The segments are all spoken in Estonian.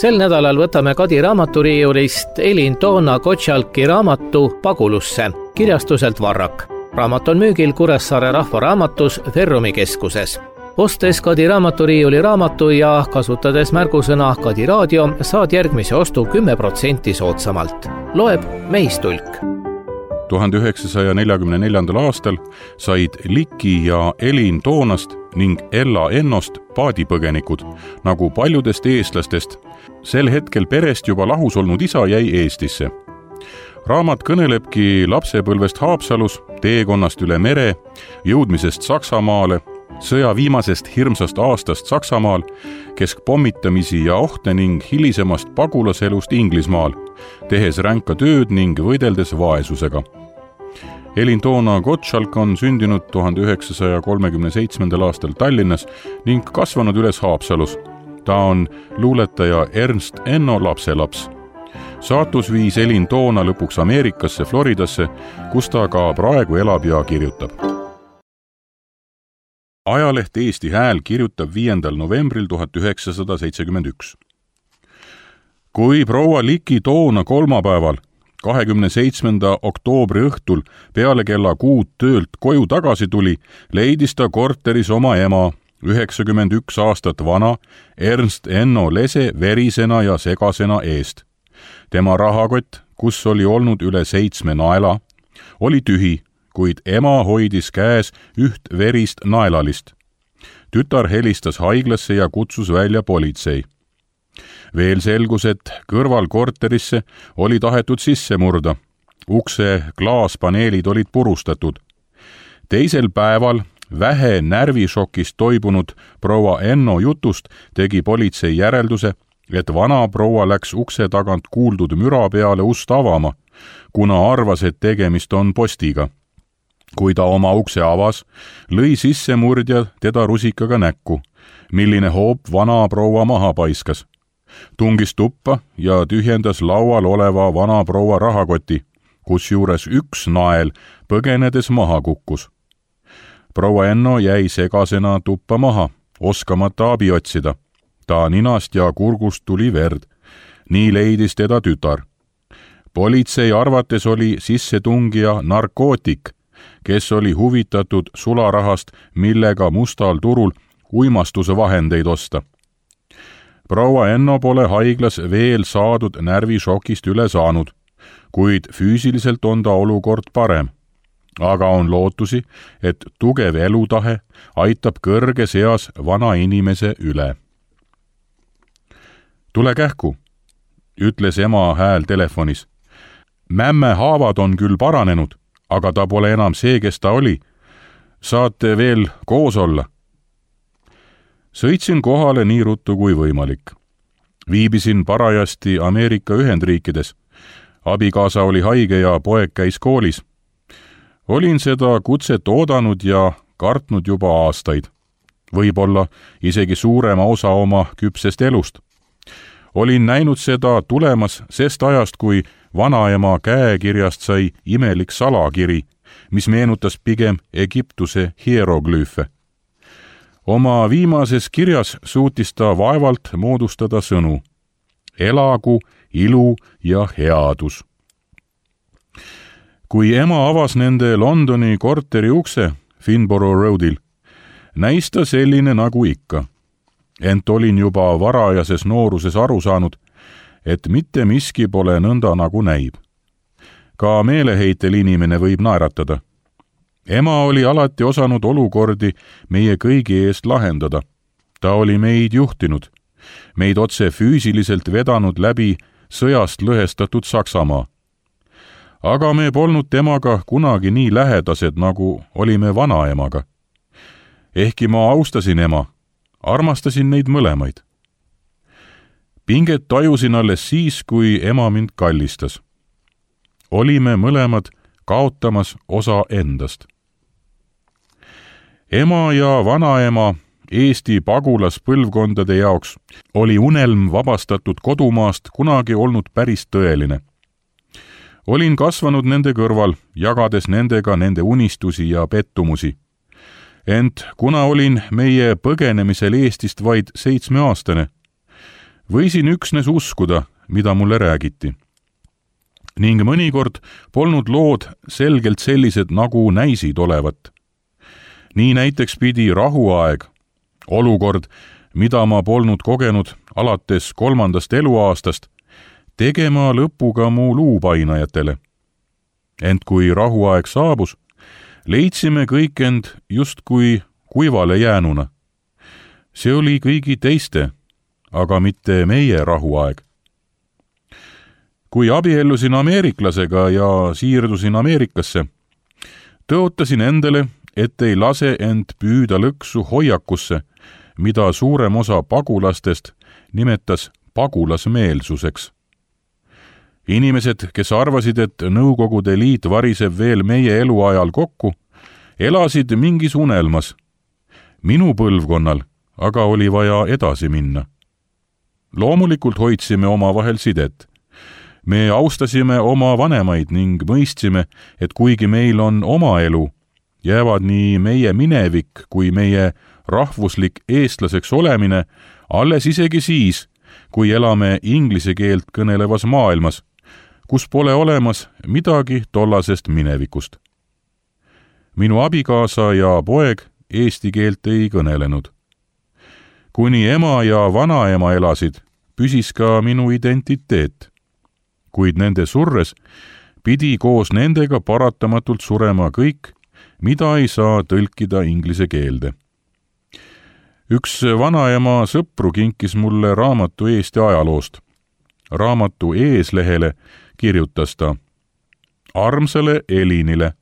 Sel nädalal võtame Kadi raamaturiiulist Elin Toona Gottschalki raamatu Pagulusse kirjastuselt Varrak. Raamat on müügil Kuressaare Rahvaraamatus Ferrumi keskuses. Ostes Kadi raamaturiiuli raamatu ja kasutades märgusõna Kadi raadio saad järgmise ostu 10% soodsamalt. Loeb Meistulk. 1944. aastal said Liki ja Elin Toonast ning Ella Ennost paadipõgenikud, nagu paljudest eestlastest. Sel hetkel perest juba lahus olnud isa jäi Eestisse. Raamat kõnelebki lapsepõlvest Haapsalus, teekonnast üle mere, jõudmisest Saksamaale, sõja viimasest hirmsast aastast Saksamaal, keskpommitamisi ja ohte ning hilisemast pagulaselust Inglismaal, tehes ränka tööd ning võideldes vaesusega. Elin Toona Gottschalk on sündinud 1937. aastal Tallinnas ning kasvanud üles Haapsalus. Ta on luuletaja Ernst Enno lapselaps. Saatus viis Elin Toona lõpuks Ameerikasse, Floridasse, kus ta ka praegu elab ja kirjutab. Ajaleht Eesti Hääl kirjutab 5. novembril 1971. Kui proua Liki Toona kolmapäeval, 27. oktoobri õhtul peale kella 6 töölt koju tagasi tuli, leidis ta korteris oma ema, 91 aastat vana, Ernst Enno Lese verisena ja segasena eest. Tema rahakott, kus oli olnud üle 7 naela, oli tühi, kuid ema hoidis käes üht verist naelalist. Tütar helistas haiglasse ja kutsus välja politsei. Veel selgus, et kõrval korterisse oli tahetud sisse murda. Ukse klaaspaneelid olid purustatud. Teisel päeval vähe närvišokist toibunud proua Enno jutust tegi politsei järelduse, et vana proua läks ukse tagant kuuldud müra peale ust avama, kuna arvas, et tegemist on postiga. Kui ta oma ukse avas, lõi sissemurdja teda rusikaga näkku, milline hoop vana proua maha paiskas. Tungis tuppa ja tühjendas laual oleva vana proua rahakoti, kusjuures üks nael põgenedes maha kukkus. Proua Enno jäi segasena tuppa maha, oskamata abi otsida. Ta ninast ja kurgust tuli verd. Nii leidis teda tütar. Politsei arvates oli sissetungija narkootik, kes oli huvitatud sularahast, millega mustal turul uimastuse vahendeid osta. Proua Enno pole haiglas veel saadud närvišokist üle saanud, kuid füüsiliselt on ta olukord parem. Aga on lootusi, et tugev elutahe aitab kõrges eas vana inimese üle. Tule kähku, ütles ema hääl telefonis. Mämme haavad on küll paranenud, aga ta pole enam see, kes ta oli. Saate veel koos olla? Sõitsin kohale nii ruttu kui võimalik. Viibisin parajasti Ameerika Ühendriikides. Abikaasa oli haige ja poeg käis koolis. Olin seda kutset oodanud ja kartnud juba aastaid. Võib-olla isegi suurema osa oma küpsest elust. Olin näinud seda tulemas sest ajast, kui vanaema käekirjast sai imelik salakiri, mis meenutas pigem Egiptuse hieroglüüfe. Oma viimases kirjas suutis ta vaevalt moodustada sõnu. Elagu, ilu ja headus. Kui ema avas nende Londoni korteri ukse Finborough Roadil, näis ta selline nagu ikka. Ent olin juba varajases nooruses aru saanud, et mitte miski pole nõnda nagu näib. Ka meeleheitel inimene võib naeratada. Ema oli alati osanud olukordi meie kõigi eest lahendada. Ta oli meid juhtinud, meid otse füüsiliselt vedanud läbi sõjast lõhestatud Saksamaa. Aga me polnud temaga kunagi nii lähedased, nagu olime vanaemaga. Ehkki ma austasin ema, armastasin neid mõlemaid. Pinget tajusin alles siis, kui ema mind kallistas. Olime mõlemad kaotamas osa endast. Ema ja vanaema Eesti pagulaspõlvkondade jaoks oli unelm vabastatud kodumaast kunagi olnud päris tõeline. Olin kasvanud nende kõrval, jagades nendega nende unistusi ja pettumusi. Ent kuna olin meie põgenemisel Eestist vaid 7-aastane, Võisin üksnes uskuda, mida mulle räägiti. Ning mõnikord polnud lood selgelt sellised, nagu näisid olevat. Nii näiteks pidi rahuaeg, olukord, mida ma polnud kogenud alates 3. eluaastast, tegema lõpuga mu luupainajatele. Ent kui rahuaeg saabus, leidsime kõik end justkui kuivale jäänuna. See oli kõigi teiste, aga mitte meie rahuaeg. Kui abiellusin ameeriklasega ja siirdusin Ameerikasse, tõotasin endale, et ei lase end püüda lõksu hoiakusse, mida suurem osa pagulastest nimetas pagulasmeelsuseks. Inimesed, kes arvasid, et Nõukogude Liit variseb veel meie eluajal kokku, elasid mingis unelmas. Minu põlvkonnal aga oli vaja edasi minna. Loomulikult hoidsime omavahel sidet. Me austasime oma vanemaid ning mõistsime, et kuigi meil on oma elu, jäävad nii meie minevik kui meie rahvuslik eestlaseks olemine alles isegi siis, kui elame inglise keelt kõnelevas maailmas, kus pole olemas midagi tollasest minevikust. Minu abikaasa ja poeg eesti keelt ei kõnelenud. Kuni ema ja vanaema elasid, püsis ka minu identiteet. Kuid nende surres pidi koos nendega paratamatult surema kõik, mida ei saa tõlkida inglise keelde. Üks vanaema sõpru kinkis mulle raamatu Eesti ajaloost. Raamatu eeslehele kirjutas ta: Armsale Elinile,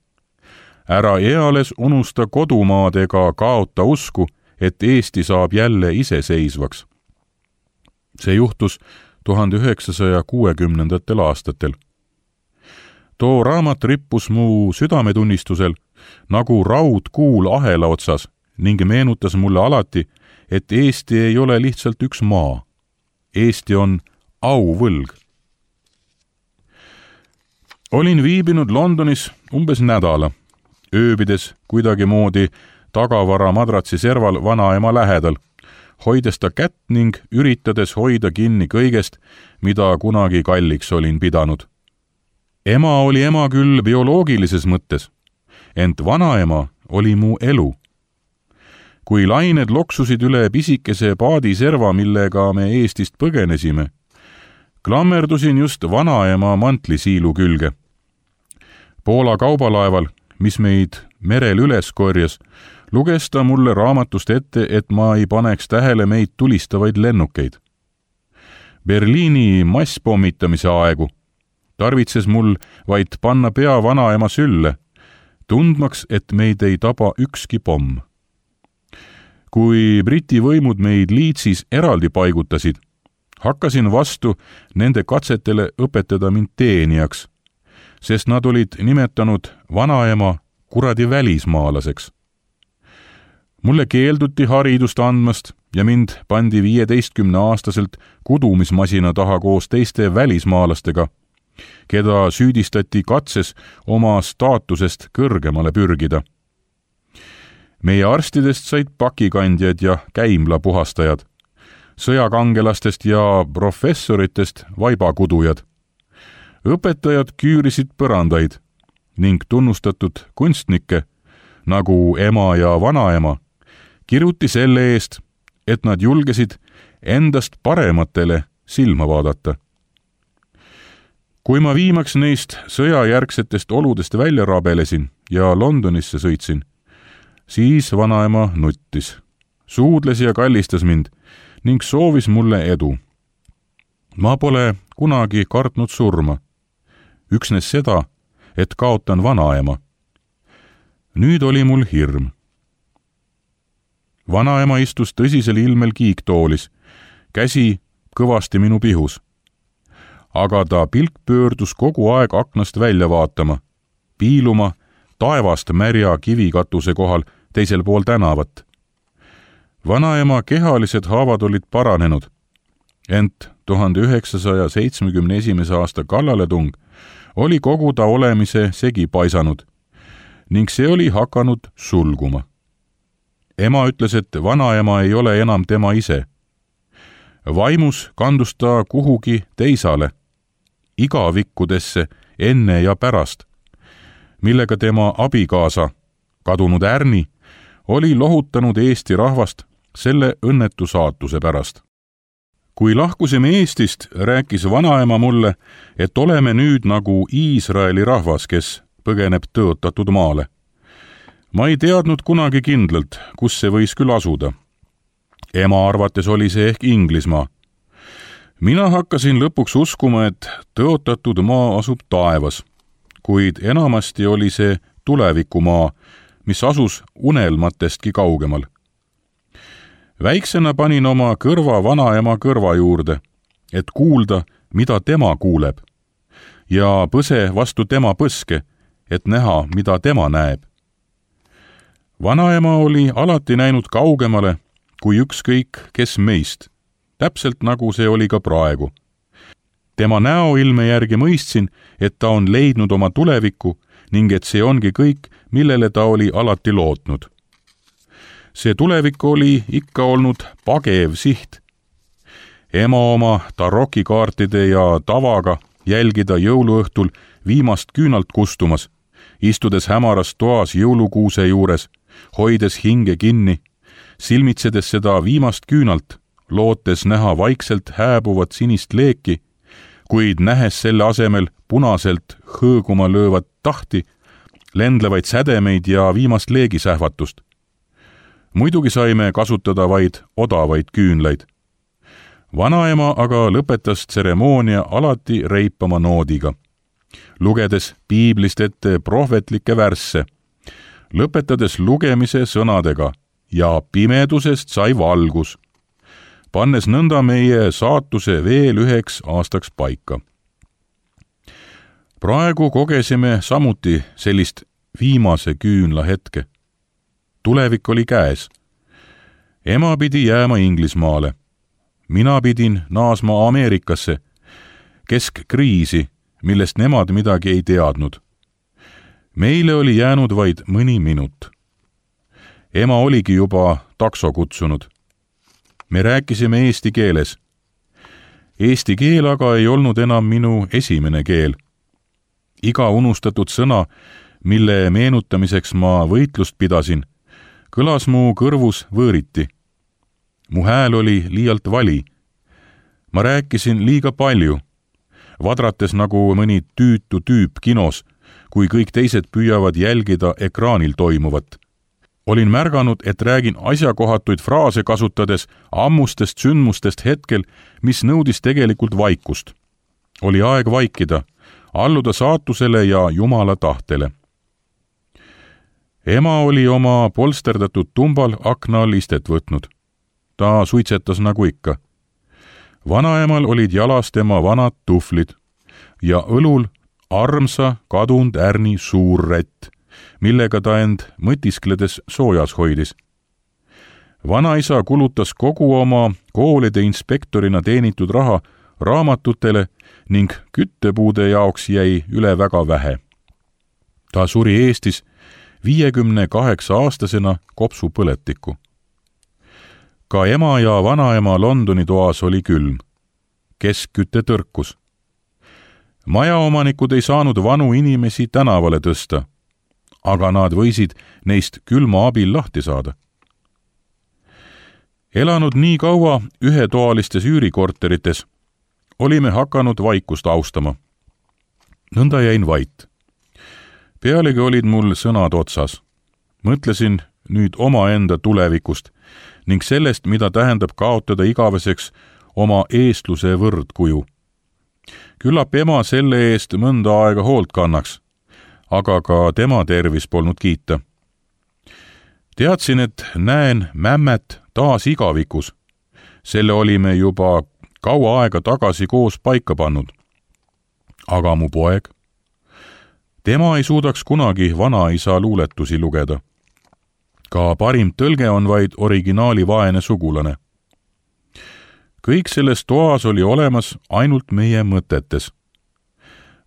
ära eales unusta kodumaad ega kaota usku, et Eesti saab jälle iseseisvaks. See juhtus 1960. aastatel. Too raamat rippus mu südametunnistusel nagu raudkuul ahela otsas ning meenutas mulle alati, et Eesti ei ole lihtsalt üks maa. Eesti on auvõlg. Olin viibinud Londonis umbes nädala, ööbides kuidagimoodi tagavara madratsi serval vanaema lähedal, hoides ta kätt ning üritades hoida kinni kõigest, mida kunagi kalliks olin pidanud. Ema oli ema küll bioloogilises mõttes, ent vanaema oli mu elu. Kui lained loksusid üle pisikese paadiserva, millega me Eestist põgenesime, klammerdusin just vanaema mantlisiilu külge. Poola kaubalaeval, mis meid merel üles korjas, luges ta mulle raamatust ette, et ma ei paneks tähele meid tulistavaid lennukeid. Berliini masspommitamise aegu tarvitses mul vaid panna pea vanaema sülle, tundmaks, et meid ei taba ükski pomm. Kui Briti võimud meid Leedsis eraldi paigutasid, hakkasin vastu nende katsetele õpetada mind teenijaks, sest nad olid nimetanud vanaema kuradi välismaalaseks. Mulle keelduti haridust andmast ja mind pandi 15-aastaselt kudumismasina taha koos teiste välismaalastega, keda süüdistati katses oma staatusest kõrgemale pürgida. Meie arstidest said pakikandjad ja käimlapuhastajad, sõjakangelastest ja professoritest vaibakudujad. Õpetajad küürisid põrandaid ning tunnustatud kunstnikke, nagu ema ja vanaema, kiruti selle eest, et nad julgesid endast parematele silma vaadata. Kui ma viimaks neist sõjajärgsetest oludest välja rabelesin ja Londonisse sõitsin, siis vanaema nuttis, suudles ja kallistas mind ning soovis mulle edu. Ma pole kunagi kartnud surma, üksnes seda, et kaotan vanaema. Nüüd oli mul hirm. Vanaema istus tõsisel ilmel kiiktoolis, käsi kõvasti minu pihus. Aga ta pilk pöördus kogu aeg aknast välja vaatama, piiluma taevast märja kivikatuse kohal teisel pool tänavat. Vanaema kehalised haavad olid paranenud, ent 1971. aasta kallaletung oli kogu ta olemise segi paisanud ning see oli hakanud sulguma. Ema ütles, et vanaema ei ole enam tema ise. vaimus kandus ta kuhugi teisale, igavikkudesse enne ja pärast, millega tema abikaasa, kadunud Ärni, oli lohutanud Eesti rahvast selle õnnetu saatuse pärast. Kui lahkusime Eestist, rääkis vanaema mulle, et oleme nüüd nagu Iisraeli rahvas, kes põgeneb tõotatud maale. Ma ei teadnud kunagi kindlalt, kus see võis küll asuda. Ema arvates oli see ehk Inglismaa. Mina hakkasin lõpuks uskuma, et tõotatud maa asub taevas, kuid enamasti oli see tulevikumaa, mis asus unelmatestki kaugemal. Väiksena panin oma kõrva vanaema kõrva juurde, et kuulda, mida tema kuuleb, ja põse vastu tema põske, et näha, mida tema näeb. Vanaema oli alati näinud kaugemale kui ükskõik kes meist, täpselt nagu see oli ka praegu. Tema näoilme järgi mõistsin, et ta on leidnud oma tulevikku ning et see ongi kõik, millele ta oli alati lootnud. See tulevik oli ikka olnud pagev siht. Ema oma tarokikaartide ja tavaga jälgida jõuluõhtul viimast küünalt kustumas, istudes hämaras toas jõulukuuse juures, hoides hinge kinni, silmitsedes seda viimast küünalt, lootes näha vaikselt hääbuvat sinist leeki, kuid nähes selle asemel punaselt hõõguma löövat tahti, lendlevaid sädemeid ja viimast leegisähvatust. Muidugi saime kasutada vaid odavaid küünlaid. Vanaema aga lõpetas tseremoonia alati reipama noodiga, lugedes piiblist ette prohvetlikke värsse, lõpetades lugemise sõnadega ja pimedusest sai valgus, pannes nõnda meie saatuse veel 1 aastaks paika. Praegu kogesime samuti sellist viimase küünla hetke. Tulevik oli käes. Ema pidi jääma Inglismaale. Mina pidin naasma Ameerikasse, keskkriisi, millest nemad midagi ei teadnud. Meile oli jäänud vaid mõni minut. Ema oligi juba takso kutsunud. Me rääkisime eesti keeles. Eesti keel aga ei olnud enam minu esimene keel. Iga unustatud sõna, mille meenutamiseks ma võitlust pidasin, kõlas mu kõrvus võõriti. Mu hääl oli liialt vali. Ma rääkisin liiga palju, vadrates nagu mõni tüütu tüüp kinos, kui kõik teised püüavad jälgida ekraanil toimuvat. Olin märganud, et räägin asjakohatuid fraase kasutades ammustest sündmustest hetkel, mis nõudis tegelikult vaikust. Oli aeg vaikida, alluda saatusele ja Jumala tahtele. Ema oli oma polsterdatud tumbal akna all istet võtnud. Ta suitsetas nagu ikka. Vanaemal olid jalas tema vanad tuhvlid ja õlul armsa kadunud Ärni suur rätt, millega ta end mõtiskledes soojas hoidis. Vanaisa kulutas kogu oma koolide inspektorina teenitud raha raamatutele ning küttepuude jaoks jäi üle väga vähe. Ta suri Eestis 58-aastasena kopsupõletikku. Ka ema ja vanaema Londoni toas oli külm. Keskküte tõrkus. Majaomanikud ei saanud vanu inimesi tänavale tõsta, aga nad võisid neist külma abil lahti saada. Elanud nii kaua ühetoalistes üürikorterites, olime hakanud vaikust austama. Nõnda jäin vait. Pealegi olid mul sõnad otsas. Mõtlesin nüüd omaenda tulevikust ning sellest, mida tähendab kaotada igaveseks oma eestluse võrdkuju. Küllap ema selle eest mõnda aega hoolt kannaks, aga ka tema tervis polnud kiita. Teadsin, et näen mämmet taas igavikus. Selle olime juba kaua aega tagasi koos paika pannud. Aga mu poeg? Tema ei suudaks kunagi vanaisa luuletusi lugeda. Ka parim tõlge on vaid originaali vaene sugulane. Kõik selles toas oli olemas ainult meie mõtetes.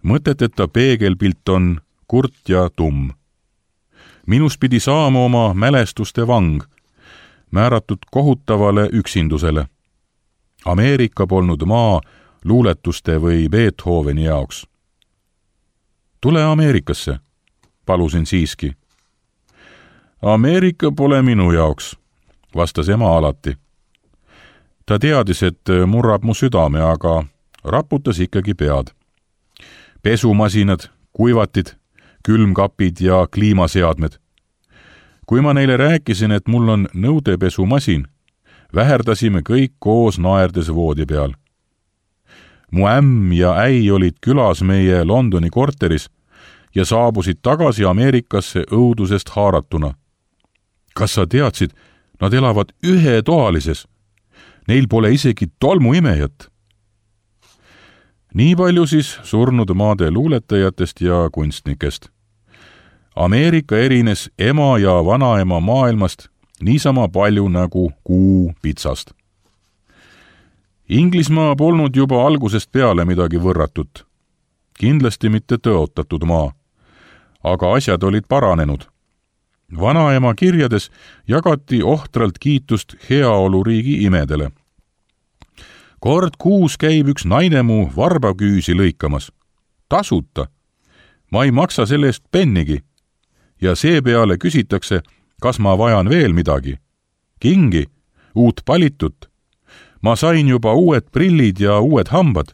Mõteteta peegelpilt on kurt ja tumm. Minust pidi saama oma mälestuste vang, määratud kohutavale üksindusele. Ameerika polnud maa luuletuste või Beethoveni jaoks. Tule Ameerikasse, palusin siiski. Ameerika pole minu jaoks, vastas ema alati. Ta teadis, et murrab mu südame, aga raputas ikkagi pead. Pesumasinad, kuivatid, külmkapid ja kliimaseadmed. Kui ma neile rääkisin, et mul on nõudepesumasin, väherdasime kõik koos naerdes voodi peal. Mu ämm ja äi olid külas meie Londoni korteris ja saabusid tagasi Ameerikasse õudusest haaratuna. Kas sa teadsid, nad elavad ühetoalises? Neil pole isegi tolmuimejat. Nii palju siis surnud maade luuletajatest ja kunstnikest. Ameerika erines ema ja vanaema maailmast niisama palju nagu kuu pitsast. Inglismaa polnud juba algusest peale midagi võrratut. Kindlasti mitte tõotatud maa. Aga asjad olid paranenud. Vanaema kirjades jagati ohtralt kiitust heaoluriigi imedele. Kord kuus käib üks naine mu varbaküüsi lõikamas. Tasuta. Ma ei maksa selle eest pennigi. Ja seepeale küsitakse, kas ma vajan veel midagi. Kingi, uut palitut. Ma sain juba uued prillid ja uued hambad.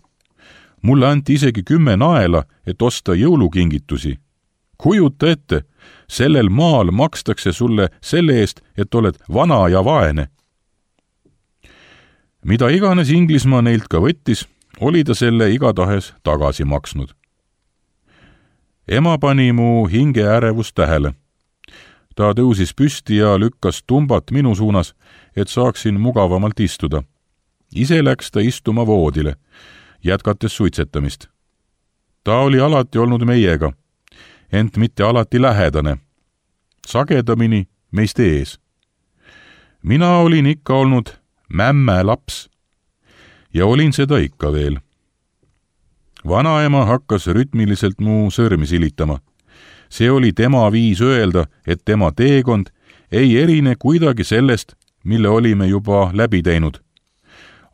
Mulle anti isegi 10 naela, et osta jõulukingitusi. Kujuta ette, sellel maal makstakse sulle selle eest, et oled vana ja vaene. Mida iganes Inglismaa neilt ka võttis, oli ta selle igatahes tagasi maksnud. Ema pani mu hinge ärevust tähele. Ta tõusis püsti ja lükkas tumbat minu suunas, et saaksin mugavamalt istuda. Ise läks ta istuma voodile, jätkates suitsetamist. Ta oli alati olnud meiega, ent mitte alati lähedane. Sagedamini meist ees. Mina olin ikka olnud mämme laps ja olin seda ikka veel. Vanaema hakkas rütmiliselt mu sõrmi silitama. See oli tema viis öelda, et tema teekond ei erine kuidagi sellest, mille olime juba läbi teinud.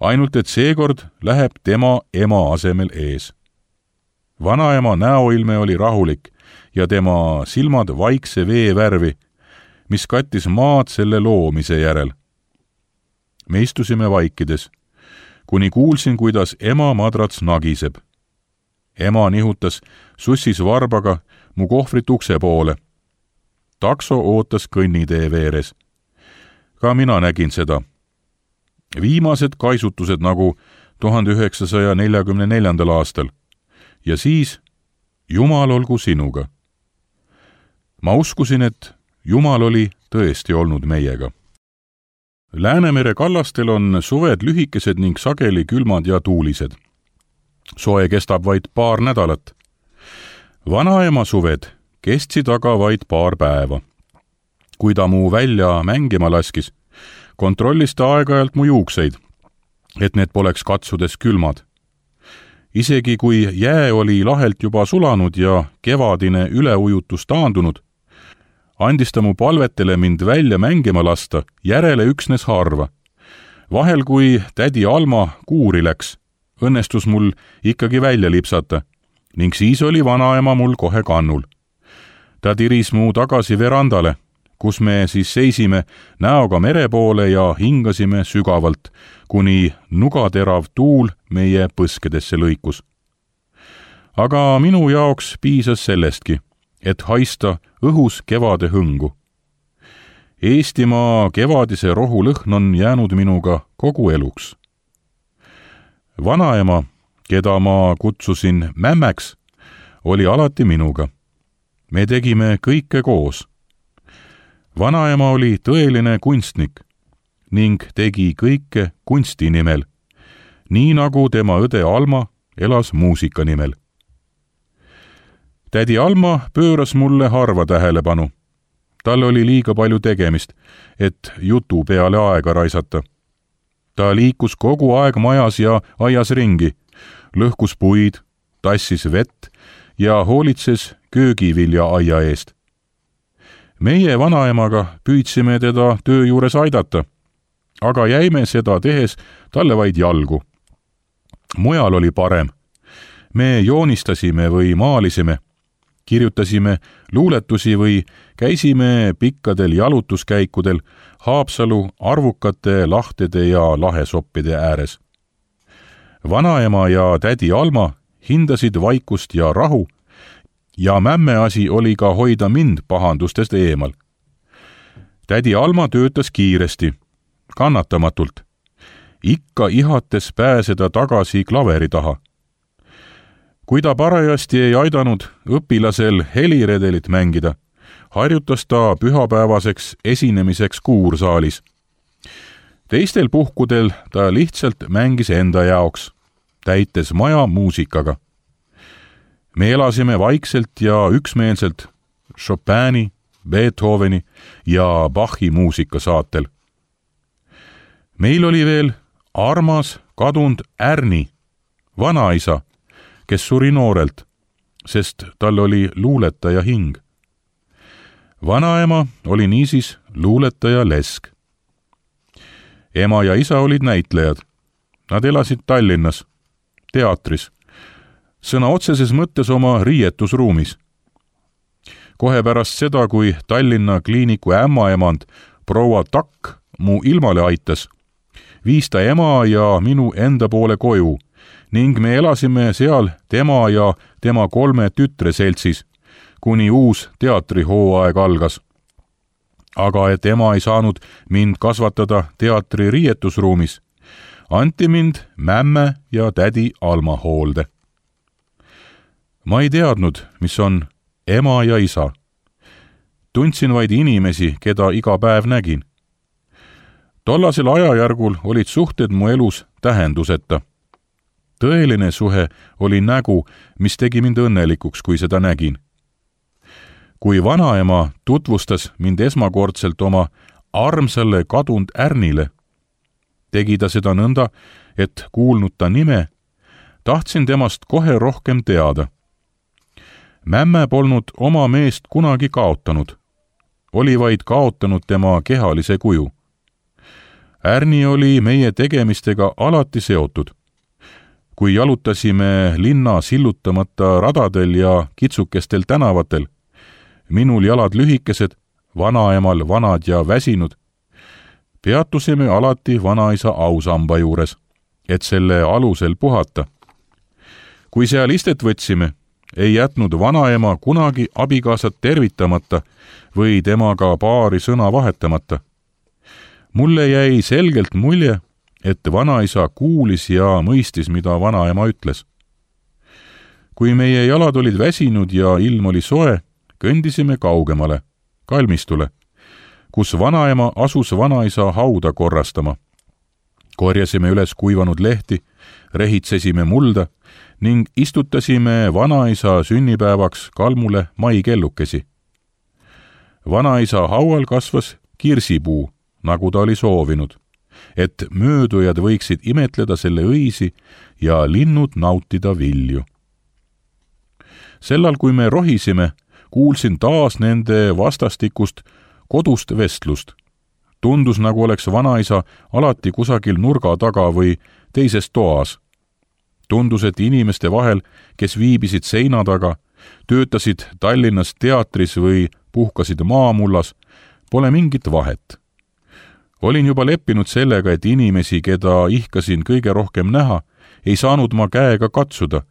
Ainult et seekord läheb tema ema asemel ees. Vanaema näoilme oli rahulik ja tema silmad vaikse veevärvi, mis kattis maad selle loomise järel. Me istusime vaikides, kuni kuulsin, kuidas ema madrats nagiseb. Ema nihutas sussis varbaga mu kohvrit ukse poole. Takso ootas kõnnitee veeres. Ka mina nägin seda. Viimased kaisutused nagu 1944. aastal. Ja siis, Jumal olgu sinuga. Ma uskusin, et Jumal oli tõesti olnud meiega. Läänemere kallastel on suved lühikesed ning sageli külmad ja tuulised. Soe kestab vaid paar nädalat. Vanaema suved kestsid aga vaid paar päeva. Kui ta mu välja mängima laskis, kontrollis ta aeg-ajalt mu juukseid, et need poleks katsudes külmad. Isegi kui jää oli lahelt juba sulanud ja kevadine üleujutus taandunud, andis ta mu palvetele mind välja mängima lasta järele üksnes harva. Vahel, kui tädi Alma kuuri läks, õnnestus mul ikkagi välja lipsata ning siis oli vanaema mul kohe kannul. Ta tiris mu tagasi verandale, kus me siis seisime näoga mere poole ja hingasime sügavalt, kuni nugaterav tuul meie põskedesse lõikus. Aga minu jaoks piisas sellestki, et haista õhus kevade hõngu. Eestimaa kevadise rohu lõhn on jäänud minuga kogu eluks. Vanaema, keda ma kutsusin mämmäks, oli alati minuga. Me tegime kõike koos. Vanaema oli tõeline kunstnik ning tegi kõike kunsti nimel, nii nagu tema õde Alma elas muusika nimel. Tädi Alma pööras mulle harva tähelepanu. Tal oli liiga palju tegemist, et jutu peale aega raisata. Ta liikus kogu aeg majas ja aias ringi, lõhkus puid, tassis vett ja hoolitses köögivilja aia eest. Meie vanaemaga püüdsime teda töö juures aidata, aga jäime seda tehes talle vaid jalgu. Mujal oli parem. Me joonistasime või maalisime, kirjutasime luuletusi või käisime pikkadel jalutuskäikudel Haapsalu arvukate lahtede ja lahesoppide ääres. Vanaema ja tädi Alma hindasid vaikust ja rahu ja mämme asi oli ka hoida mind pahandustest eemal. Tädi Alma töötas kiiresti, kannatamatult, ikka ihates pääseda tagasi klaveri taha. Kui ta parajasti ei aidanud õpilasel heliredelit mängida, harjutas ta pühapäevaseks esinemiseks kuursaalis. Teistel puhkudel ta lihtsalt mängis enda jaoks, täites maja muusikaga. Me elasime vaikselt ja üksmeelselt Chopini, Beethoveni ja Bachi muusikasaatel. Meil oli veel armas kadunud Ärni, vanaisa, kes suri noorelt, sest tal oli luuletaja hing. Vanaema oli niisiis luuletaja lesk. Ema ja isa olid näitlejad. Nad elasid Tallinnas, teatris, sõna otseses mõttes oma riietusruumis. Kohe pärast seda, kui Tallinna kliiniku ämmaemand proua Takk mu ilmale aitas, viis ta ema ja minu enda poole koju ning me elasime seal tema ja tema 3 tütre seltsis, kuni uus teatrihooaeg algas. Aga et ema ei saanud mind kasvatada teatri riietusruumis, anti mind mämme ja tädi Alma hoolde. Ma ei teadnud, mis on ema ja isa. Tundsin vaid inimesi, keda iga päev nägin. Tollasel ajajärgul olid suhted mu elus tähenduseta. Tõeline suhe oli nägu, mis tegi mind õnnelikuks, kui seda nägin. Kui vanaema tutvustas mind esmakordselt oma armsale kadunud Ärnile, tegi ta seda nõnda, et kuulnud ta nime, tahtsin temast kohe rohkem teada. Mämme polnud oma meest kunagi kaotanud, oli vaid kaotanud tema kehalise kuju. Ärni oli meie tegemistega alati seotud. Kui jalutasime linna sillutamata radadel ja kitsukestel tänavatel, minul jalad lühikesed, vanaemal vanad ja väsinud, peatusime alati vanaisa ausamba juures, et selle alusel puhata. Kui seal istet võtsime, ei jätnud vanaema kunagi abikaasat tervitamata või temaga paari sõna vahetamata. Mulle jäi selgelt mulje, et vanaisa kuulis ja mõistis, mida vanaema ütles. Kui meie jalad olid väsinud ja ilm oli soe, kõndisime kaugemale, kalmistule, kus vanaema asus vanaisa hauda korrastama. Korjasime üles kuivanud lehti, rehitsesime mulda ning istutasime vanaisa sünnipäevaks kalmule maikellukesi. Vanaisa haual kasvas kirsipuu, nagu ta oli soovinud, et möödujad võiksid imetleda selle õisi ja linnud nautida vilju. Sellal, kui me rohisime, kuulsin taas nende vastastikust kodust vestlust. Tundus, nagu oleks vanaisa alati kusagil nurga taga või teises toas. Tundus, et inimeste vahel, kes viibisid seina taga, töötasid Tallinnas teatris või puhkasid maamullas, pole mingit vahet. Olin juba leppinud sellega, et inimesi, keda ihkasin kõige rohkem näha, ei saanud ma käega katsuda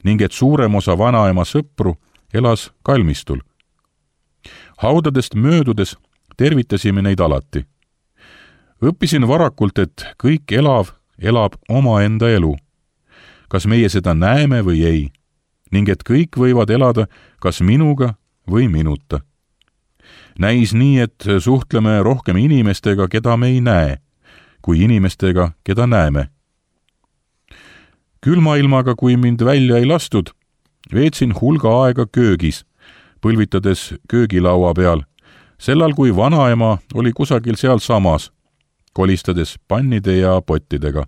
ning et suurem osa vanaema sõpru elas kalmistul. Haudadest möödudes tervitasime neid alati. Õppisin varakult, et kõik elav elab omaenda elu, kas meie seda näeme või ei, ning et kõik võivad elada kas minuga või minuta. Näis nii, et suhtleme rohkem inimestega, keda me ei näe, kui inimestega, keda näeme. Külma ilmaga, kui mind välja ei lastud, veetsin hulga aega köögis, põlvitades köögilaua peal, sellal kui vanaema oli kusagil sealsamas, kolistades pannide ja pottidega,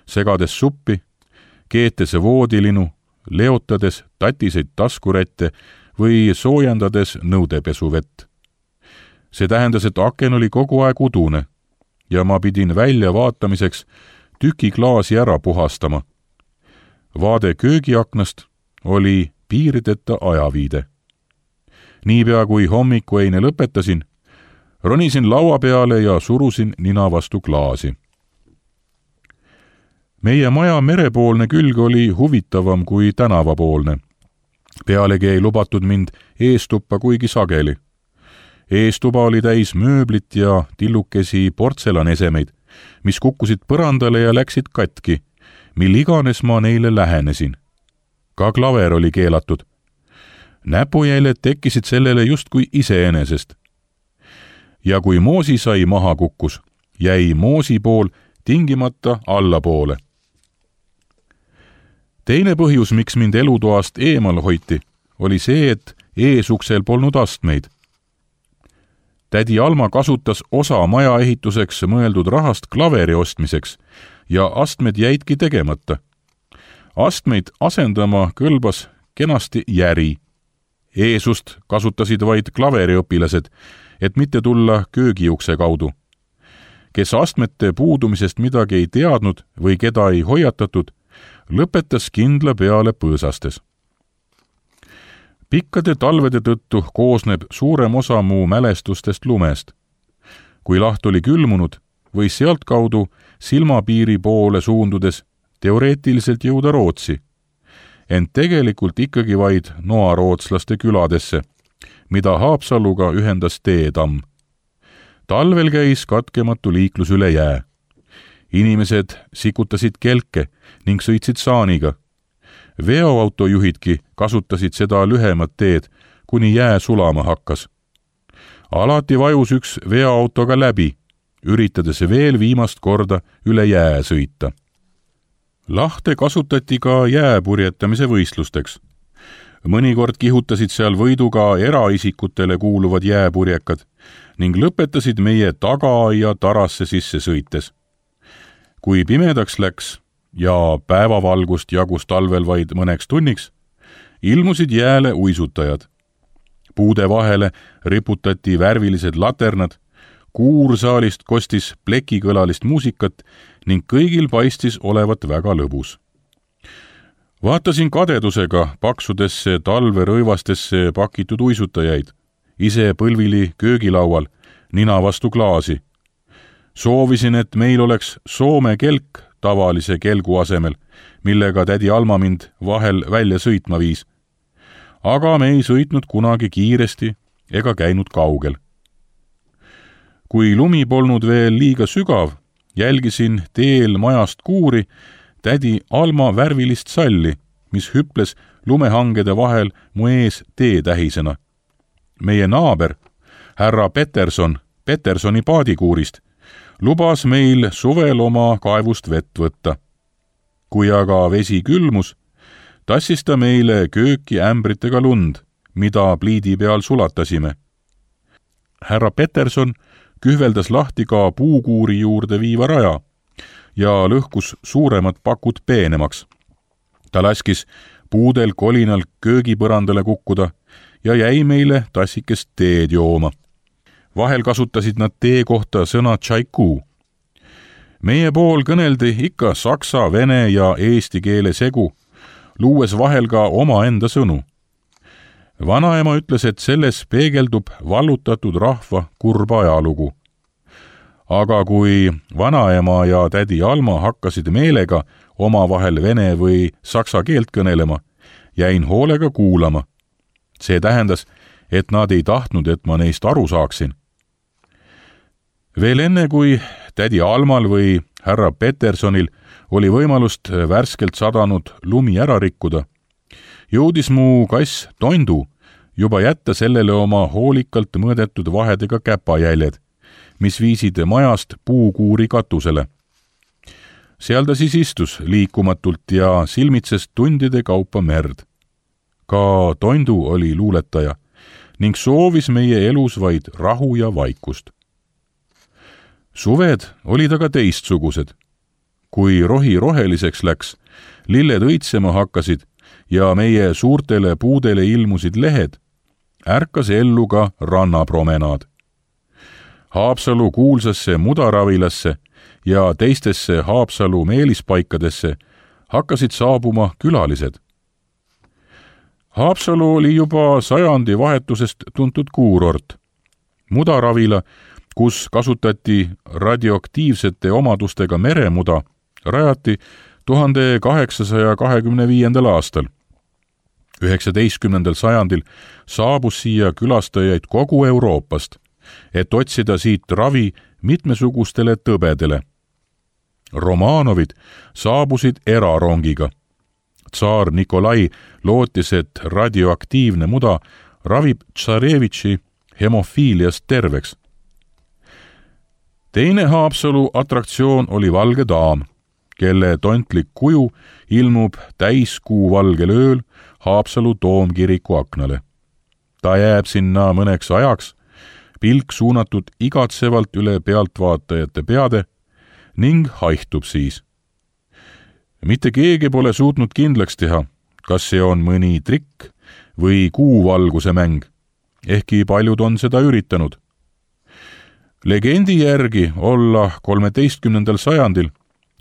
segades suppi, keetes voodilinu, leotades tatiseid taskurätte või soojendades nõudepesuvett. See tähendas, et aken oli kogu aeg udune, ja ma pidin välja vaatamiseks tüki klaasi ära puhastama. Vaade köögiaknast oli piirideta ajaviide. Niipea kui hommikueine lõpetasin, ronisin laua peale ja surusin nina vastu klaasi. Meie maja merepoolne külg oli huvitavam kui tänavapoolne. Pealegi ei lubatud mind eestuppa kuigi sageli. Eestuba oli täis mööblit ja tillukesi portselanesemeid, mis kukkusid põrandale ja läksid katki, mil iganes ma neile lähenesin. Ka klaver oli keelatud. Näpujäljed tekkisid sellele justkui iseenesest. Ja kui moosi sai maha kukkus, jäi moosi pool tingimata allapoole. Teine põhjus, miks mind elutoast eemal hoiti, oli see, et eesuksel polnud astmeid. Tädi Alma kasutas osa maja ehituseks mõeldud rahast klaveri ostmiseks ja astmed jäidki tegemata. Astmeid asendama kõlbas kenasti järi. Eesust kasutasid vaid klaveriõpilased, et mitte tulla köögiukse kaudu. Kes astmete puudumisest midagi ei teadnud või keda ei hoiatatud, lõpetas kindla peale põõsastes. Pikkade talvede tõttu koosneb suurem osa mu mälestustest lumest. Kui laht oli külmunud, võis sealtkaudu silmapiiri poole suundudes teoreetiliselt jõuda Rootsi, ent tegelikult ikkagi vaid noarootslaste küladesse, mida Haapsaluga ühendas teetamm. Talvel käis katkematu liiklus üle jää. Inimesed sikutasid kelke ning sõitsid saaniga. Veoautojuhidki kasutasid seda lühemat teed, kuni jää sulama hakkas. Alati vajus üks veoautoga läbi, üritades veel viimast korda üle jää sõita. Lahte kasutati ka jääpurjetamise võistlusteks. Mõnikord kihutasid seal võiduga eraisikutele kuuluvad jääpurjekad ning lõpetasid meie tagaaia tarasse sisse sõites. Kui pimedaks läks ja päevavalgust jagus talvel vaid mõneks tunniks, ilmusid jääle uisutajad. Puude vahele riputati värvilised laternad, kuursaalist kostis plekikõlalist muusikat ning kõigil paistis olevat väga lõbus. Vaatasin kadedusega paksudesse talverõivastesse pakitud uisutajaid, ise põlvili köögilaual, nina vastu klaasi. Soovisin, et meil oleks Soome kelk tavalise kelgu asemel, millega tädi Alma mind vahel välja sõitma viis. Aga me ei sõitnud kunagi kiiresti ega käinud kaugel. Kui lumi polnud veel liiga sügav, jälgisin teel majast kuuri tädi Alma värvilist salli, mis hüples lumehangede vahel mu ees teetähisena. Meie naaber, härra Peterson, Petersoni paadikuurist, lubas meil suvel oma kaevust vett võtta. Kui aga vesi külmus, tassis ta meile kööki ämbritega lund, mida pliidi peal sulatasime. Härra Peterson kühveldas lahti ka puukuuri juurde viiva raja ja lõhkus suuremad pakud peenemaks. Ta laskis puudel kolinal köögipõrandale kukkuda ja jäi meile tassikest teed jooma. Vahel kasutasid nad tee kohta sõna tšaiku. Meie pool kõneldi ikka saksa, vene ja eesti keele segu, luues vahel ka omaenda sõnu. Vanaema ütles, et selles peegeldub vallutatud rahva kurba ajalugu. Aga kui vanaema ja tädi Alma hakkasid meelega omavahel vene või saksa keelt kõnelema, jäin hoolega kuulama. See tähendas, et nad ei tahtnud, et ma neist aru saaksin. Veel enne, kui tädi Almal või härra Petersonil oli võimalust värskelt sadanud lumi ära rikkuda, jõudis mu kass Tondu juba jätta sellele oma hoolikalt mõõdetud vahedega käpajäljed, mis viisid majast puukuuri katusele. Seal ta siis istus liikumatult ja silmitses tundide kaupa merd. Ka Tondu oli luuletaja ning soovis meie elus vaid rahu ja vaikust. Suved olid aga teistsugused. Kui rohi roheliseks läks, lilled õitsema hakkasid ja meie suurtele puudele ilmusid lehed, ärkas ellu ka rannapromenaad. Haapsalu kuulsasse Mudaravilasse ja teistesse Haapsalu meelispaikadesse hakkasid saabuma külalised. Haapsalu oli juba sajandi vahetusest tuntud kuurort. Mudaravila, kus kasutati radioaktiivsete omadustega meremuda, rajati 1825. aastal. 19. sajandil saabus siia külastajaid kogu Euroopast, et otsida siit ravi mitmesugustele tõbedele. Romanovid saabusid erarongiga. Tsaar Nikolai lootis, et radioaktiivne muda ravib tsarevitši hemofiiliast terveks. Teine Haapsalu atraktsioon oli valge daam, kelle tontlik kuju ilmub täiskuu valgel ööl Haapsalu toomkiriku aknale. Ta jääb sinna mõneks ajaks, pilk suunatud igatsevalt üle pealtvaatajate peade ning haihtub siis. Mitte keegi pole suutnud kindlaks teha, kas see on mõni trikk või kuuvalguse mäng, ehkki paljud on seda üritanud. Legendi järgi olla 13. sajandil,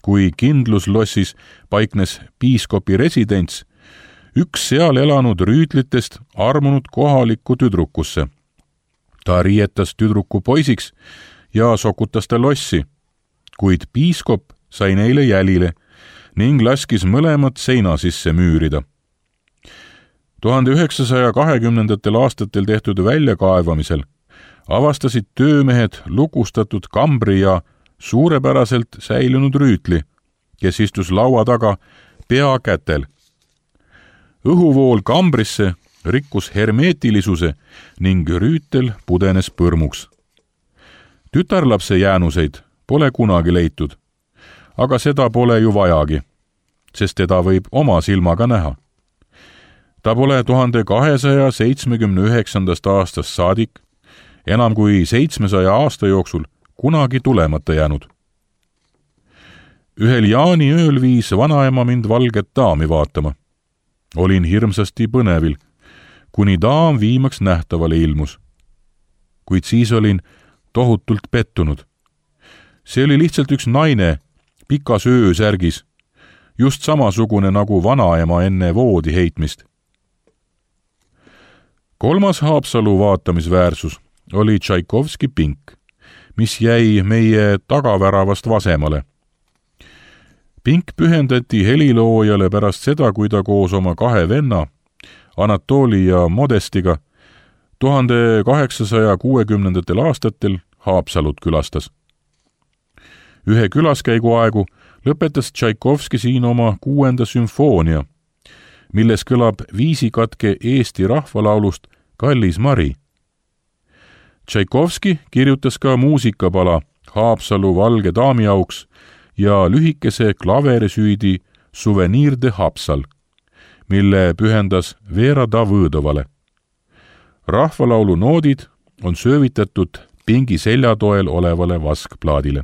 kui kindluslossis paiknes piiskopi residents, üks seal elanud rüütlitest armunud kohalikku tüdrukusse. Ta riietas tüdruku poisiks ja sokutas ta lossi, kuid piiskop sai neile jälile ning laskis mõlemad seina sisse müürida. 1920. aastatel tehtud väljakaevamisel avastasid töömehed lukustatud kambri ja suurepäraselt säilunud rüütli, kes istus laua taga pea kätel. Õhuvool kambrisse rikkus hermeetilisuse ning rüütel pudenes põrmuks. Tütarlapse jäänuseid pole kunagi leitud, aga seda pole ju vajagi, sest teda võib oma silmaga näha. Ta pole 1279. aastast saadik, enam kui 700 aasta jooksul kunagi tulemata jäänud. Ühel jaaniööl viis vanaema mind valget daami vaatama. Olin hirmsasti põnevil, kuni daam viimaks nähtavale ilmus. Kuid siis olin tohutult pettunud. See oli lihtsalt üks naine pikas öösärgis, just samasugune nagu vanaema enne voodi heitmist. Kolmas Haapsalu vaatamisväärsus oli Tšaikovski pink, mis jäi meie tagaväravast vasemale. Pink pühendati heliloojale pärast seda, kui ta koos oma kahe venna, Anatoli ja Modestiga, 1860. aastatel Haapsalut külastas. Ühe külaskäigu aegu lõpetas Tšaikovski siin oma 6. sümfoonia, milles kõlab viisikatke Eesti rahvalaulust Kallis Mari. Tšaikovski kirjutas ka muusikapala Haapsalu valge daami auks ja lühikese klaverisüüdi Souvenir de Haapsal, mille pühendas Vera Davõdovale. Rahvalaulu noodid on söövitatud pingi seljatoel olevale vaskplaadile.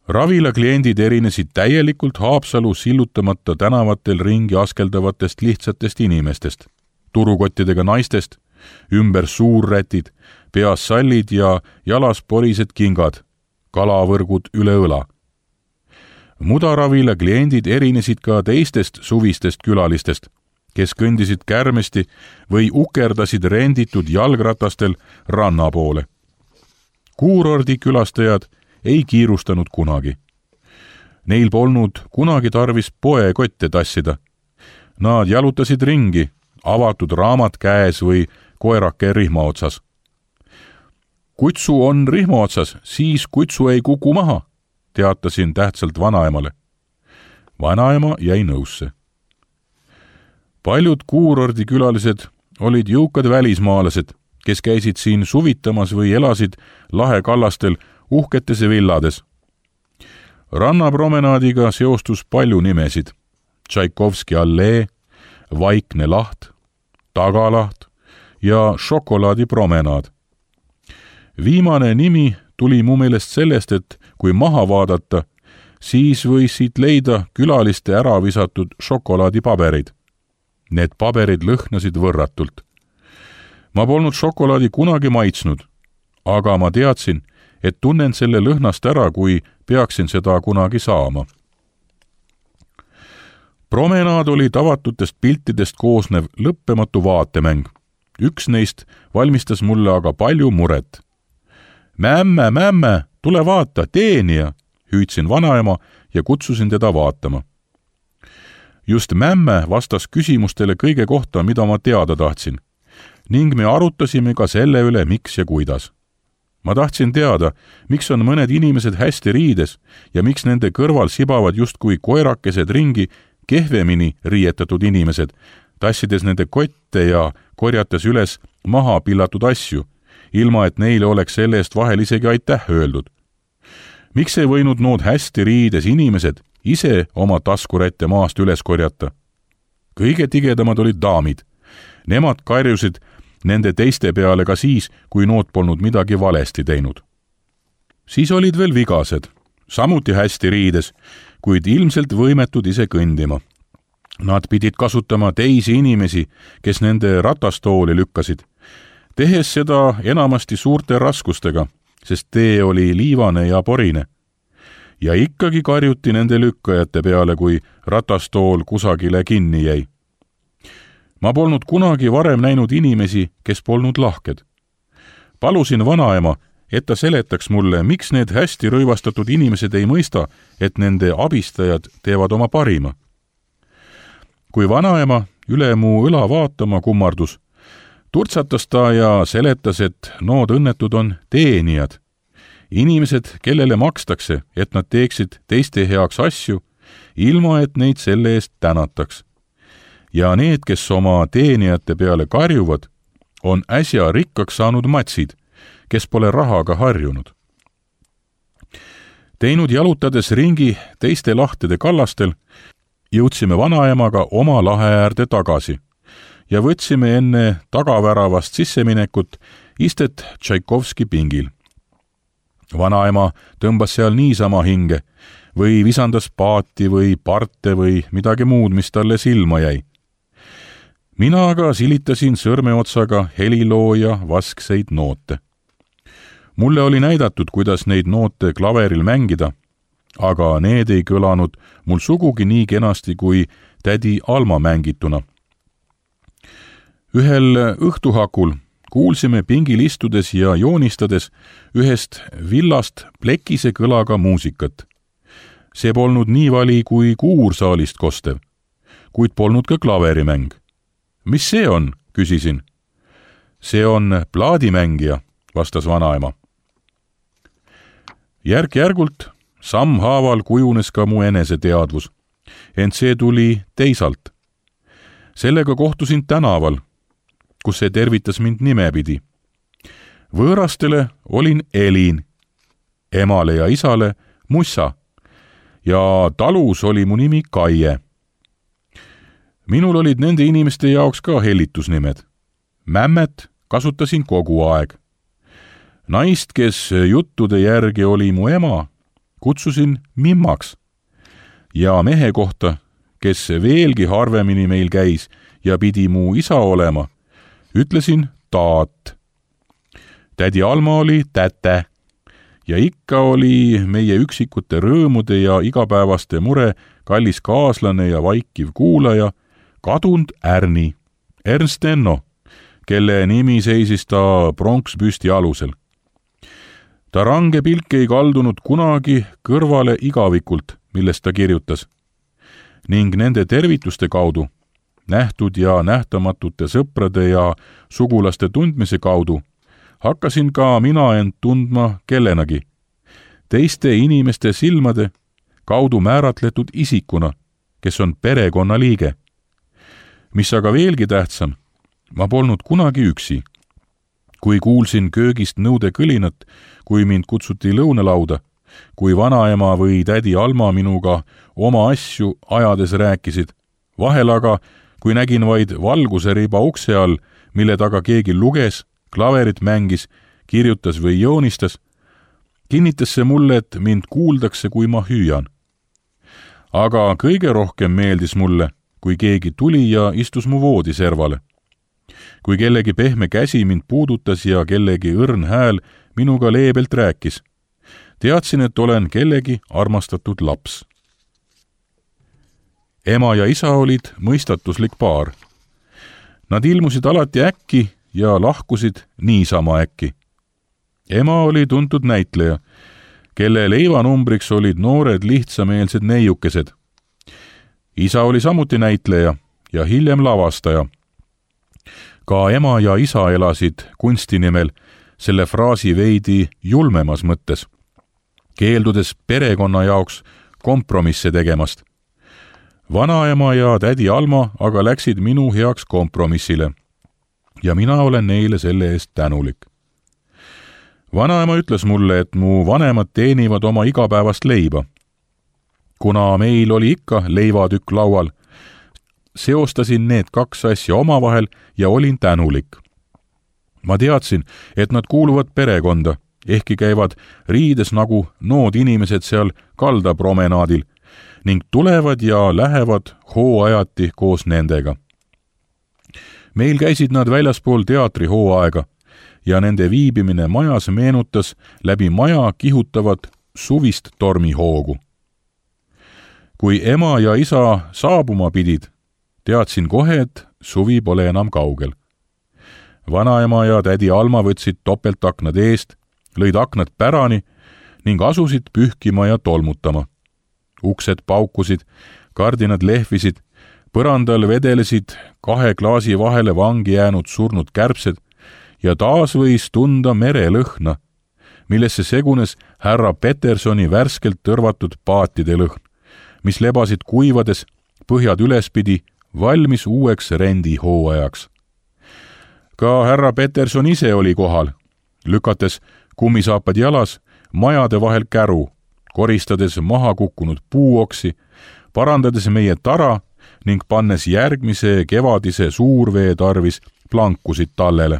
Ravila kliendid erinesid täielikult Haapsalu sillutamata tänavatel ringi askeldavatest lihtsatest inimestest, turukottidega naistest, ümber suurrätid, peas sallid ja jalas porised kingad, kalavõrgud üle õla. Mudaravila kliendid erinesid ka teistest suvistest külalistest, kes kõndisid kärmesti või ukerdasid renditud jalgratastel ranna poole. Kuurordi külastajad ei kiirustanud kunagi. Neil polnud kunagi tarvis poekotte tassida. Nad jalutasid ringi, avatud raamat käes või koerake rihma otsas. Kutsu on rihma otsas, siis kutsu ei kuku maha, teatasin tähtsalt vanaemale. Vanaema jäi nõusse. Paljud kuurordi külalised olid jõukad välismaalased, kes käisid siin suvitamas või elasid lahekallastel uhketes villades. Rannapromenaadiga seostus palju nimesid. Tšaikovski allee, Vaikne laht, Tagalaht ja Šokolaadipromenaad. Viimane nimi tuli mu meelest sellest, et kui maha vaadata, siis võis siit leida külaliste ära visatud šokolaadipaberid. Need paberid lõhnasid võrratult. Ma polnud šokolaadi kunagi maitsnud, aga ma teadsin, et tunnen selle lõhnast ära, kui peaksin seda kunagi saama. Promenaad oli tavatutest piltidest koosnev lõppematu vaatemäng. Üks neist valmistas mulle aga palju muret. Mämme, tule vaata, teenija, hüüdsin vanaema ja kutsusin teda vaatama. Just mämme vastas küsimustele kõige kohta, mida ma teada tahtsin, ning me arutasime ka selle üle, miks ja kuidas. Ma tahtsin teada, miks on mõned inimesed hästi riides ja miks nende kõrval sibavad justkui koerakesed ringi kehvemini riietatud inimesed, tassides nende kotte ja korjates üles maha pillatud asju, ilma et neile oleks selle eest vahel isegi aitäh öeldud. Miks ei võinud nood hästi riides inimesed ise oma taskurätte maast üles korjata? Kõige tigedamad olid daamid. Nemad karjusid nende teiste peale ka siis, kui nood polnud midagi valesti teinud. Siis olid veel vigased, samuti hästi riides, kuid ilmselt võimetud ise kõndima. Nad pidid kasutama teisi inimesi, kes nende ratastooli lükkasid, tehes seda enamasti suurte raskustega, sest tee oli liivane ja porine. Ja ikkagi karjuti nende lükkajate peale, kui ratastool kusagile kinni jäi. Ma polnud kunagi varem näinud inimesi, kes polnud lahked. Palusin vanaema, et ta seletaks mulle, miks need hästi rõivastatud inimesed ei mõista, et nende abistajad teevad oma parima. Kui vanaema üle mu õla vaatama kummardus, turtsatas ta ja seletas, et nood õnnetud on teenijad. Inimesed, kellele makstakse, et nad teeksid teiste heaks asju, ilma et neid selle eest tänataks. Ja need, kes oma teenijate peale karjuvad, on äsja rikkaks saanud matsid, kes pole rahaga harjunud. Teinud jalutades ringi teiste lahtede kallastel, jõudsime vanaemaga oma lahe äärde tagasi ja võtsime enne tagaväravast sisseminekut istet Tšaikovski pingil. Vanaema tõmbas seal niisama hinge või visandas paati või parte või midagi muud, mis talle silma jäi. Mina aga silitasin sõrmeotsaga helilooja vaskseid noote. Mulle oli näidatud, kuidas neid noote klaveril mängida, aga need ei kõlanud mul sugugi nii kenasti kui tädi Alma mängituna. Ühel õhtuhakul kuulsime pingil istudes ja joonistades ühest villast plekise kõlaga muusikat. See polnud nii vali kui kuursaalist kostev, kuid polnud ka klaverimäng. Mis see on, küsisin. See on plaadimängija, vastas vanaema. Järk-järgult sammhaaval kujunes ka mu eneseteadvus, ent see tuli teisalt. Sellega kohtusin tänaval, kus see tervitas mind nimepidi. Võõrastele olin Elin, emale ja isale Mussa ja talus oli mu nimi Kaie. Minul olid nende inimeste jaoks ka hellitusnimed. Mämmet kasutasin kogu aeg. Naist, kes juttude järgi oli mu ema, kutsusin Mimmaks. Ja mehe kohta, kes veelgi harvemini meil käis ja pidi mu isa olema, ütlesin Taat. Tädi Alma oli Täte ja ikka oli meie üksikute rõõmude ja igapäevaste mure kallis kaaslane ja vaikiv kuulaja kadunud Ärni, Ernst Enno, kelle nimi seisis ta pronkspüsti alusel. Ta range pilk ei kaldunud kunagi kõrvale igavikult, millest ta kirjutas, ning nende tervituste kaudu, nähtud ja nähtamatute sõprade ja sugulaste tundmise kaudu, hakkasin ka mina end tundma kellenagi, teiste inimeste silmade kaudu määratletud isikuna, kes on perekonna liige. Mis aga veelgi tähtsam, ma polnud kunagi üksi. Kui kuulsin köögist nõude kõlinat, kui mind kutsuti lõunalauda, kui vanaema või tädi Alma minuga oma asju ajades rääkisid, vahel aga, kui nägin vaid valguseriba ukse all, mille taga keegi luges, klaverit mängis, kirjutas või joonistas, kinnitas see mulle, et mind kuuldakse, kui ma hüüan. Aga kõige rohkem meeldis mulle, kui keegi tuli ja istus mu voodiservale. Kui kellegi pehme käsi mind puudutas ja kellegi õrn hääl minuga leebelt rääkis. Teadsin, et olen kellegi armastatud laps. Ema ja isa olid mõistatuslik paar. Nad ilmusid alati äkki ja lahkusid niisama äkki. Ema oli tuntud näitleja, kelle leivanumbriks olid noored lihtsameelsed neiukesed. Isa oli samuti näitleja ja hiljem lavastaja. Ka ema ja isa elasid kunsti nimel selle fraasi veidi julmemas mõttes, keeldudes perekonna jaoks kompromisse tegemast. Vanaema ja tädi Alma aga läksid minu heaks kompromissile ja mina olen neile selle eest tänulik. Vanaema ütles mulle, et mu vanemad teenivad oma igapäevast leiba. Kuna meil oli ikka leivatükk laual, seostasin need kaks asja omavahel ja olin tänulik. Ma teadsin, et nad kuuluvad perekonda, ehkki käivad riides nagu nood inimesed seal kaldapromenaadil ning tulevad ja lähevad hooajati koos nendega. Meil käisid nad väljaspool teatrihooaega ja nende viibimine majas meenutas läbi maja kihutavat suvist tormihoogu. Kui ema ja isa saabuma pidid, teadsin kohe, et suvi pole enam kaugel. Vanaema ja tädi Alma võtsid topeltaknad eest, lõid aknad pärani ning asusid pühkima ja tolmutama. Uksed paukusid, kardinad lehvisid, põrandal vedelesid 2 klaasi vahele vangi jäänud surnud kärbsed ja taas võis tunda merelõhna, millesse segunes härra Petersoni värskelt tõrvatud paatide lõhn, mis lebasid kuivades põhjad ülespidi valmis uueks rendihooajaks. Ka härra Peterson ise oli kohal, lükates kummisaapad jalas majade vahel käru, koristades maha kukkunud puuoksi, parandades meie tara ning pannes järgmise kevadise suurvee tarvis plankusid tallele.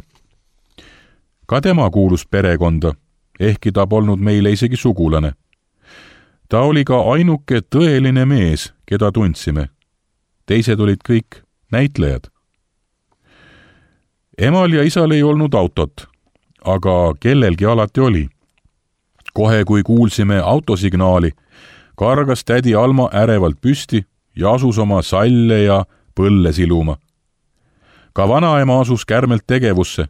Ka tema kuulus perekonda, ehkki ta polnud meile isegi sugulane. Ta oli ka ainuke tõeline mees, keda tundsime. Teised olid kõik näitlejad. Emal ja isal ei olnud autot, aga kellelgi alati oli. Kohe kui kuulsime autosignaali, kargas tädi Alma ärevalt püsti ja asus oma salle ja põlle siluma. Ka vanaema asus kärmelt tegevusse,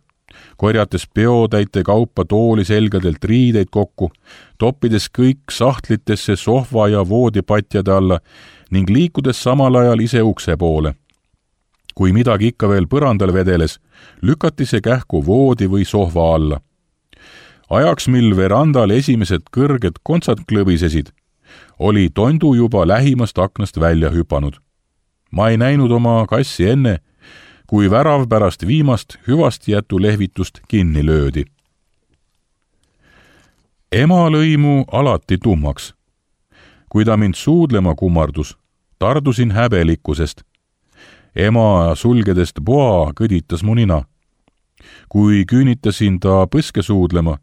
korjates peotäite kaupa tooli selgadelt riideid kokku, toppides kõik sahtlitesse sohva ja voodipatjade alla ning liikudes samal ajal ise ukse poole. Kui midagi ikka veel põrandal vedeles, lükati see kähku voodi või sohva alla. Ajaks, mil verandal esimesed kõrged kontsad klõbisesid, oli tondu juba lähimast aknast välja hüpanud. Ma ei näinud oma kassi enne, kui värav pärast viimast hüvast jätu lehvitust kinni löödi. Ema lõi mu alati tummaks. Kui ta mind suudlema kummardus, tardusin häbelikkusest. Ema sulgedest poa kõditas mu nina. Kui küünitasin ta põske suudlema,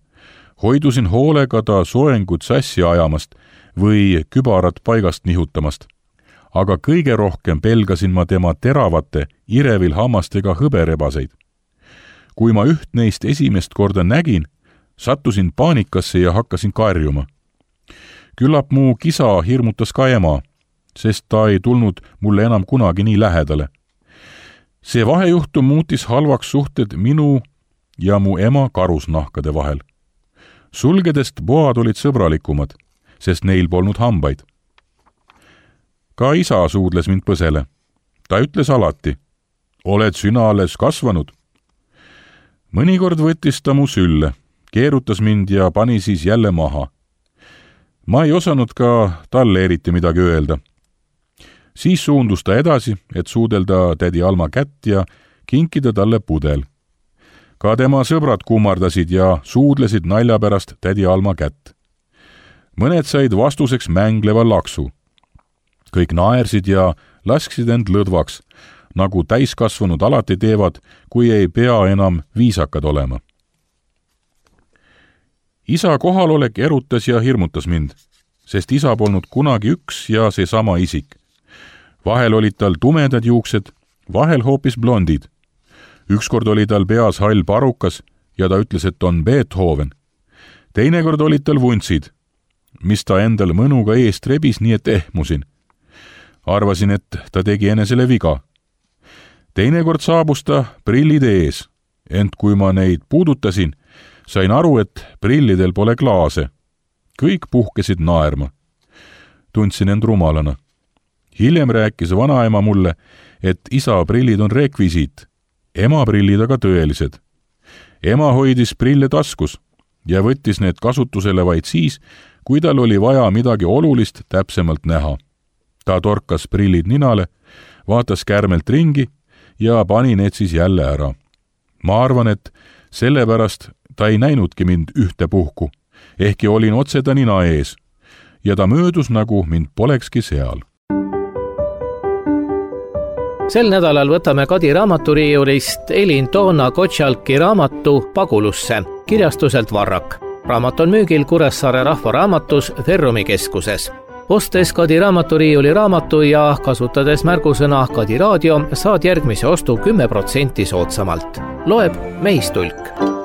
hoidusin hoolega ta soengut sassi ajamast või kübarat paigast nihutamast. Aga kõige rohkem pelgasin ma tema teravate, irevil hammastega hõberebaseid. Kui ma üht neist esimest korda nägin, sattusin paanikasse ja hakkasin karjuma. Küllap mu kisa hirmutas ka ema, sest ta ei tulnud mulle enam kunagi nii lähedale. See vahejuhtum muutis halvaks suhted minu ja mu ema karusnahkade vahel. Sulgedest poad olid sõbralikumad, sest neil polnud hambaid. Ka isa suudles mind põsele. Ta ütles alati, oled sina alles kasvanud. Mõnikord võttis ta mu sülle, keerutas mind ja pani siis jälle maha. Ma ei osanud ka talle eriti midagi öelda. Siis suundus ta edasi, et suudelda tädi Alma kätt ja kinkida talle pudel. Ka tema sõbrad kummardasid ja suudlesid nalja pärast tädi Alma kätt. Mõned said vastuseks mängleva laksu. Kõik naersid ja lasksid end lõdvaks, nagu täiskasvanud alati teevad, kui ei pea enam viisakad olema. Isa kohalolek erutas ja hirmutas mind, sest isa polnud kunagi üks ja seesama isik. Vahel olid tal tumedad juuksed, vahel hoopis blondid. Ükskord oli tal peas hall parukas ja ta ütles, et on Beethoven. teinekord olid tal vuntsid, mis ta endal mõnuga eest rebis, nii et ehmusin. Arvasin, et ta tegi enesele viga. Teinekord saabus ta prillide ees, ent kui ma neid puudutasin, sain aru, et prillidel pole klaase. Kõik puhkesid naerma. Tundsin end rumalana. Hiljem rääkis vanaema mulle, et isa prillid on rekvisiit, ema prillid aga tõelised. Ema hoidis prille taskus ja võttis need kasutusele vaid siis, kui tal oli vaja midagi olulist täpsemalt näha. Ta torkas prillid ninale, vaatas kärmelt ringi ja pani need siis jälle ära. Ma arvan, et sellepärast ta ei näinudki mind ühte puhku, ehkki olin otse ta nina ees ja ta möödus, nagu mind polekski seal. Sel nädalal võtame Kadi raamaturiiulist Elin Toona-Gottschalki raamatu Pagulusse kirjastuselt Varrak. Raamat on müügil Kuressaare Rahvaraamatus Ferrumi keskuses. Ostes Kadi raamaturiiuli raamatu ja kasutades märgusõna Kadi raadio saad järgmise ostu 10% soodsamalt. Loeb Meistulk.